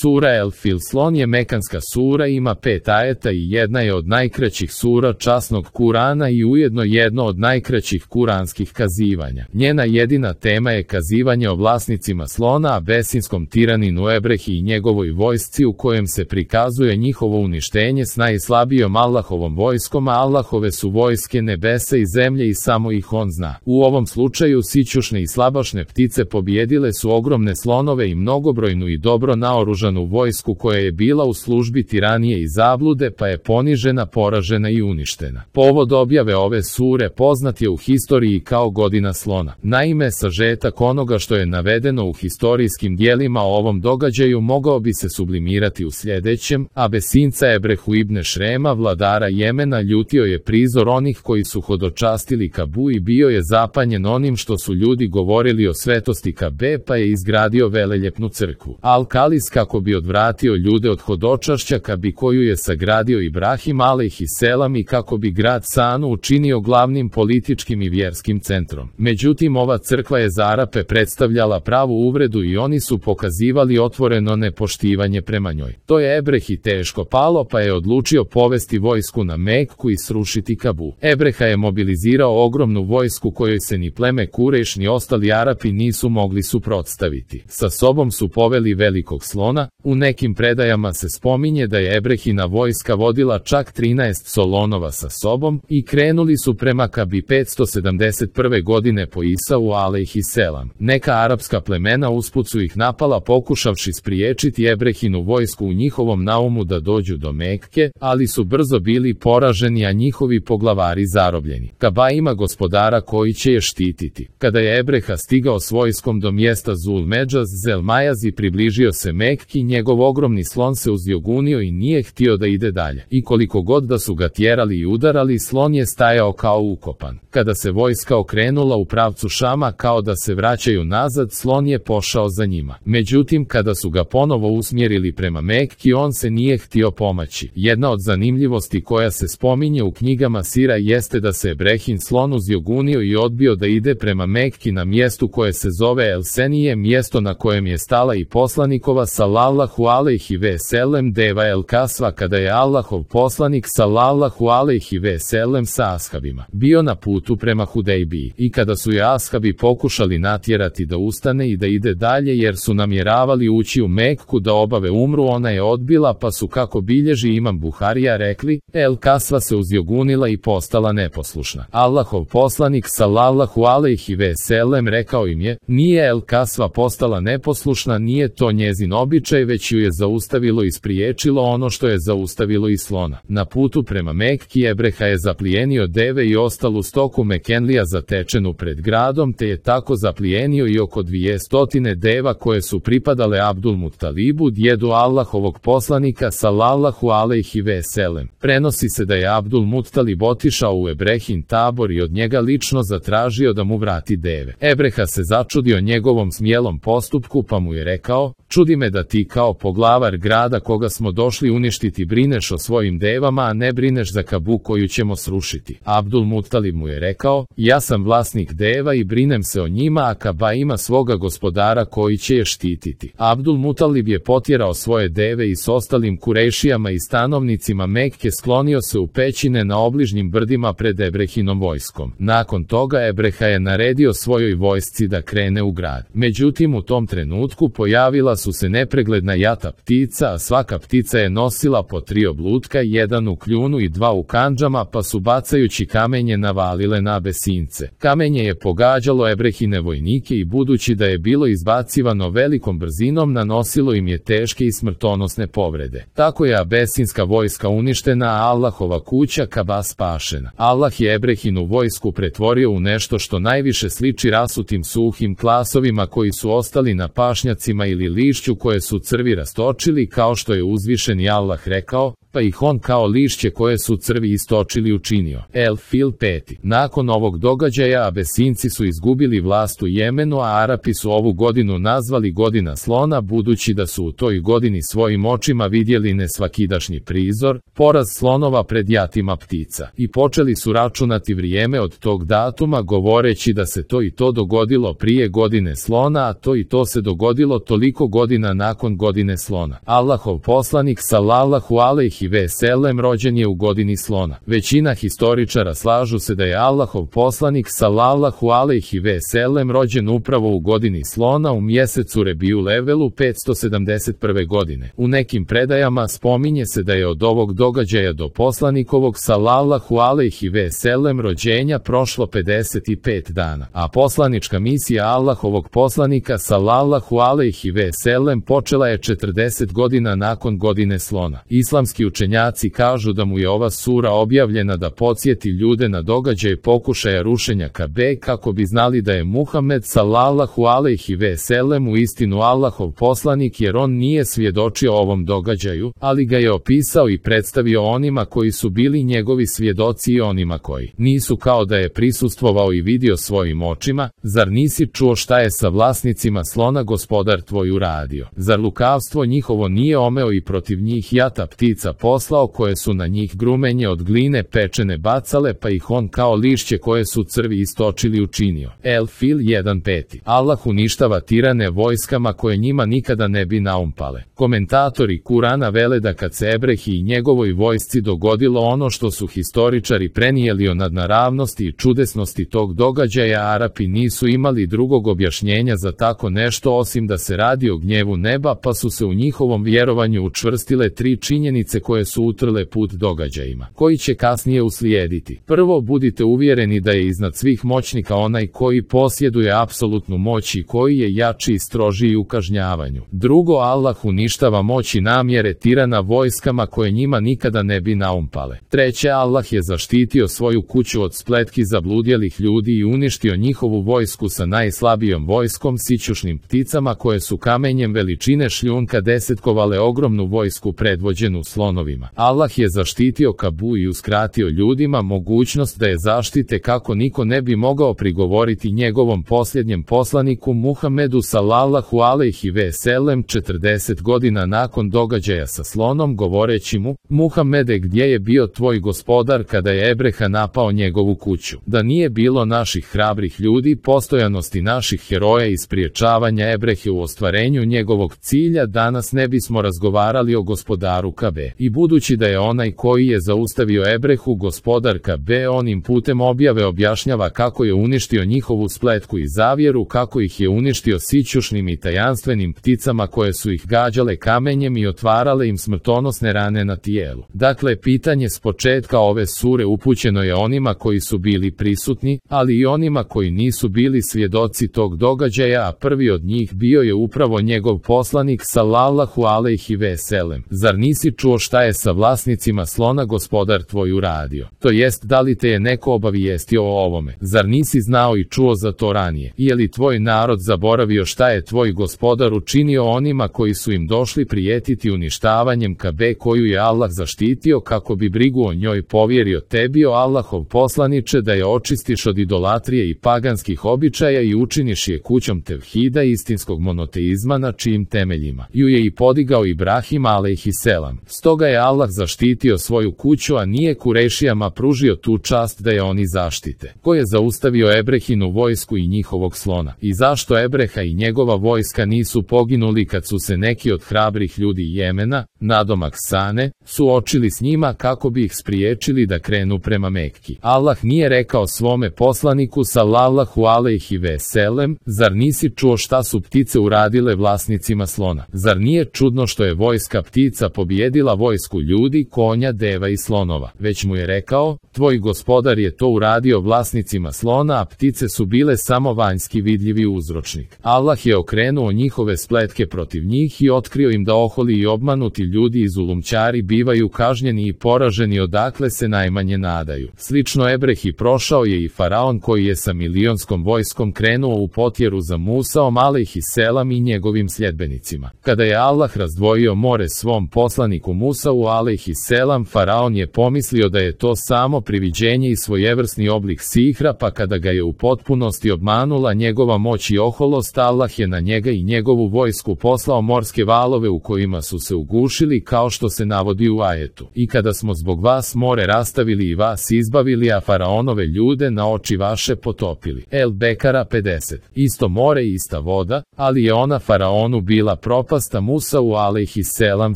Sura El-Fil. Slon je mekanska sura, ima 5 ajeta i jedna je od najkraćih sura časnog Kurana i ujedno jedno od najkraćih kuranskih kazivanja. Njena jedina tema je kazivanje o vlasnicima slona, abesinskom tiraninu Ebrehi i njegovoj vojsci, u kojem se prikazuje njihovo uništenje s najslabijom Allahovom vojskom, a Allahove su vojske nebesa i zemlje i samo ih on zna. U ovom slučaju sićušne i slabašne ptice pobjedile su ogromne slonove i mnogobrojnu i dobro naoružanu vojsku koja je bila u službi tiranije i zablude, pa je ponižena, poražena i uništena. Povod objave ove sure poznat je u historiji kao godina slona. Naime, sažetak onoga što je navedeno u historijskim dijelima o ovom događaju mogao bi se sublimirati u sljedećem: Abesinca Ebrehu ibn Šrema, vladara Jemena, ljutio je prizor onih koji su hodočastili Kabu i bio je zapanjen onim što su ljudi govorili o svetosti Kabe, pa je izgradio veleljepnu crkvu Al-Kalis kako bi odvratio ljude od hodočašća Kabi koju je sagradio Ibrahim alejhiselam i kako bi grad Sanu učinio glavnim političkim i vjerskim centrom. Međutim, ova crkva je za Arape predstavljala pravu uvredu i oni su pokazivali otvoreno nepoštivanje prema njoj. To je Ebrehi teško palo, pa je odlučio povesti vojsku na Mekku i srušiti Kabu. Ebreha je mobilizirao ogromnu vojsku kojoj se ni pleme Kurejš ni ostali Arapi nisu mogli suprotstaviti. Sa sobom su poveli velikog slona. U nekim predajama se spominje da je Ebrehina vojska vodila čak 13 solonova sa sobom i krenuli su prema Kabi 571. godine po Isau alejhiselam. Neka arapska plemena usput su ih napala pokušavši spriječiti Ebrehinu vojsku u njihovom naumu da dođu do Mekke, ali su brzo bili poraženi, a njihovi poglavari zarobljeni. Kaba ima gospodara koji će je štititi. Kada je Ebreha stigao s vojskom do mjesta Zul-Medžaz Zelmajaz i približio se Mekki, njegov ogromni slon se uzjogunio i nije htio da ide dalje. I koliko god da su ga tjerali i udarali, slon je stajao kao ukopan. Kada se vojska okrenula u pravcu Šama kao da se vraćaju nazad, slon je pošao za njima. Međutim, kada su ga ponovo usmjerili prema Mekki, on se nije htio pomaći. Jedna od zanimljivosti koja se spominje u knjigama Sira jeste da se Ebrehin slon uzjogunio i odbio da ide prema Mekki na mjestu koje se zove El-Senije, mjesto na kojem je stala i poslanikova sallallahu alejhi ve sellem deva El-Kasva, kada je Allahov poslanik sallallahu alejhi ve sellem sa ashabima bio na putu prema Hudejbiji. I kada su je ashabi pokušali natjerati da ustane i da ide dalje jer su namjeravali ući u Mekku da obave umru, ona je odbila, pa su, kako bilježi imam Buharija, rekli: El-Kasva se uzjogunila i postala neposlušna. Allahov poslanik sallallahu alejhi ve sellem rekao im je: nije El-Kasva postala neposlušna, nije to njezin običaj, već ju je zaustavilo i spriječilo ono što je zaustavilo i slona. Na putu prema Mekki Ebreha je zaplijenio deve i ostalu stoku Mekenlija zatečenu pred gradom, te je tako zaplijenio i oko 200 deva koje su pripadale Abdul Mutalibu, djedu Allahovog poslanika sallallahu alejhi ve sellem. Prenosi se da je Abdul Mutalib otišao u Ebrehin tabor i od njega lično zatražio da mu vrati deve. Ebreha se začudio njegovom smjelom postupku, pa mu je rekao: čudi me da ti kao poglavar grada koga smo došli uništiti brineš o svojim devama, a ne brineš za Kabu koju ćemo srušiti. Abdul Mutalib mu je rekao: ja sam vlasnik deva i brinem se o njima, a Kaba ima svoga gospodara koji će je štititi. Abdul Mutalib je potjerao svoje deve i s ostalim Kurejšijama i stanovnicima Mekke sklonio se u pećine na obližnjim brdima pred Ebrehinom vojskom. Nakon toga Ebreha je naredio svojoj vojsci da krene u grad. Međutim, u tom trenutku pojavila su se nepregledna jata ptica, a svaka ptica je nosila po 3 oblutka, jedan u kljunu i 2 u kandžama, pa su bacajući kamenje navalile na Abesince. Kamenje je pogađalo Ebrehine vojnike i budući da je bilo izbacivano velikom brzinom, nanosilo im je teške i smrtonosne povrede. Tako je abesinska vojska uništena, a Allahova kuća Kaba spašena. Allah je Ebrehinu vojsku pretvorio u nešto što najviše sliči rasutim suhim klasovima koji su ostali na pašnjacima ili lišću koje su crvi rastočili, kao što je uzvišeni Allah rekao: pa ih on kao lišće koje su crvi istočili učinio. El Fil 5. Nakon ovog događaja Abesinci su izgubili vlast u Jemenu, a Arapi su ovu godinu nazvali godina slona, budući da su u toj godini svojim očima vidjeli nesvakidašnji prizor, poraz slonova pred jatima ptica, i počeli su računati vrijeme od tog datuma, govoreći da se to i to dogodilo prije godine slona, a to i to se dogodilo toliko godina nakon godine slona. Allahov poslanik sallallahu alejhi ve sellem rođen je u godini slona. Većina historičara slažu se da je Allahov poslanik sallallahu alejhi ve sellem rođen upravo u godini slona u mjesecu Rebiju Levelu 571. godine. U nekim predajama spominje se da je od ovog događaja do poslanikovog sallallahu alejhi ve sellem rođenja prošlo 55 dana, a poslanička misija Allahovog poslanika sallallahu alejhi ve sellem počela je 40 godina nakon godine slona. Islamski učenjaci kažu da mu je ova sura objavljena da podsjeti ljude na događaj pokušaja rušenja Kabe, kako bi znali da je Muhammed sallallahu alejhi ve sellem u istinu Allahov poslanik, jer on nije svjedočio ovom događaju, ali ga je opisao i predstavio onima koji su bili njegovi svjedoci i onima koji nisu, kao da je prisustvovao i vidio svojim očima. Zar nisi čuo šta je sa vlasnicima slona gospodar tvoj uradio? Zar lukavstvo njihovo nije omeo i protiv njih jata ptica poslao, koje su na njih grumenje od gline pečene bacale, pa ih on kao lišće koje su crvi istočili učinio. El Fil 1:5. Allah uništava tirane vojskama koje njima nikada ne bi naumpale. Komentatori Kurana vele da kad se Ebrehi i njegovoj vojsci dogodilo ono što su historičari prenijeli o nadnaravnosti i čudesnosti tog događaja, Arapi nisu imali drugog objašnjenja za tako nešto osim da se radi o gnjevu neba, pa su se u njihovom vjerovanju učvrstile tri činjenice koje su utrle put događajima koji će kasnije uslijediti. Prvo, budite uvjereni da je iznad svih moćnika onaj koji posjeduje apsolutnu moć i koji je jači i strožiji u kažnjavanju. Drugo, Allah uništava moć i namjere tirana vojskama koje njima nikada ne bi naumpale. Treće, Allah je zaštitio svoju kuću od spletki zabludjelih ljudi i uništio njihovu vojsku sa najslabijom vojskom, sićušnim pticama koje su kamenjem veličine šljunka desetkovale ogromnu vojsku predvođenu slonovima. Allah je zaštitio Kabu i uskratio ljudima mogućnost da je zaštite, kako niko ne bi mogao prigovoriti njegovom posljednjem poslaniku Muhammedu sallallahu alejhi ve sellem 40 godina nakon događaja sa slonom, govoreći mu: Muhammede, gdje je bio tvoj gospodar kada je Ebreha napao njegovu kuću? Da nije bilo naših hrabrih ljudi, postojanosti naših heroja i spriječavanja Ebrehe u ostvarenju njegovog cilja, danas ne bismo razgovarali o gospodaru Kabe. I budući da je onaj koji je zaustavio Ebrehu gospodar Kabe, onim putem objave objašnjava kako je uništio njihovu spletku i zavjeru, kako ih je uništio sićušnim i tajanstvenim pticama koje su ih gađale kamenjem i otvarale im smrtonosne rane na tijelu. Dakle, pitanje s početka ove sure upućeno je onima koji su bili prisutni, ali i onima koji nisu bili svjedoci tog događaja, a prvi od njih bio je upravo njegov poslanik sallallahu alejhi ve sellem. Zar nisi čuo šta je sa vlasnicima slona gospodar tvoj uradio? To jest, da li te je neko obavijestio o ovome? Zar nisi znao i čuo za to ranije? Je li tvoj narod zaboravio šta je tvoj gospodar učinio onima koji su im došli prijetiti uništavanjem Kabe, koju je Allah zaštitio kako bi brigu o njoj povjerio tebi, o Allahov poslaniče, da je očistiš od idolatrije i paganskih običaja i učiniš je kućom tevhida, istinskog monoteizma, na čijim temeljima ju je i podigao Ibrahim alejhiselam. Stoga je Allah zaštitio svoju kuću, a nije Kurešijama pružio tu čast da je oni zaštite. Ko je zaustavio Ebrehinu vojsku i njihovog slona? I zašto Ebreha i njegova vojska nisu poginuli kad su se neki od hrabrih ljudi Jemena, nadomak Sane, suočili s njima kako bi ih spriječili da krenu prema Mekki? Allah nije rekao svome poslaniku sallallahu alejhi ve sellem: zar nisi čuo šta su ptice uradile vlasnicima slona? Zar nije čudno što je vojska ptica pobijedila vojsku ljudi, konja, deva i slonova? Već mu je rekao: tvoj gospodar je to uradio vlasnicima slona, a ptice su bile samo vanjski vidljivi uzročnik. Allah je okrenuo njihove spletke protiv njih i otkrio im da oholi i obmanuti ljudi i zulumčari bivaju kažnjeni i poraženi odakle se najmanje nadaju. Slično Ebrehi prošao je i faraon, koji je sa milionskom vojskom krenuo u potjeru za Musaom alejhiselam i njegovim sljedbenicima. Kada je Allah razdvojio more svom poslaniku Musi Musau alejhiselam, faraon je pomislio da je to samo priviđenje i svojevrsni oblik sihra, pa kada ga je u potpunosti obmanula njegova moć i oholost, Allah je na njega i njegovu vojsku poslao morske valove u kojima su se ugušili, kao što se navodi u ajetu. I kada smo zbog vas more rastavili i vas izbavili, a faraonove ljude na oči vaše potopili. El Bekara 50. Isto more i ista voda, ali je ona faraonu bila propasta, Musau alejhiselam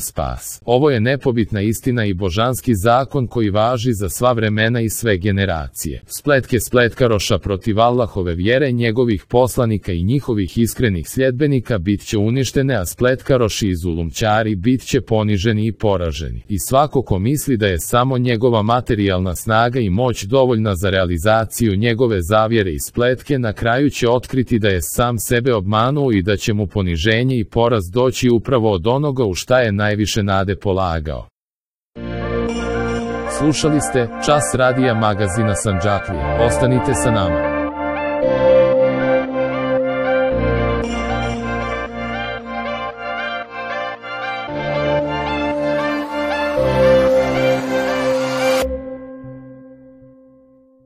spas. Ovo je nepobitna istina i božanski zakon koji važi za sva vremena i sve generacije. Spletke spletkaroša protiv Allahove vjere, njegovih poslanika i njihovih iskrenih sljedbenika bit će uništene, a spletkaroši i zulumčari bit će poniženi i poraženi. I svako ko misli da je samo njegova materijalna snaga i moć dovoljna za realizaciju njegove zavjere i spletke, na kraju će otkriti da je sam sebe obmanuo i da će mu poniženje i poraz doći upravo od onoga u šta je najviše nade polagao. Slušali ste Čas radija magazina Sandžaklija. Ostanite sa nama.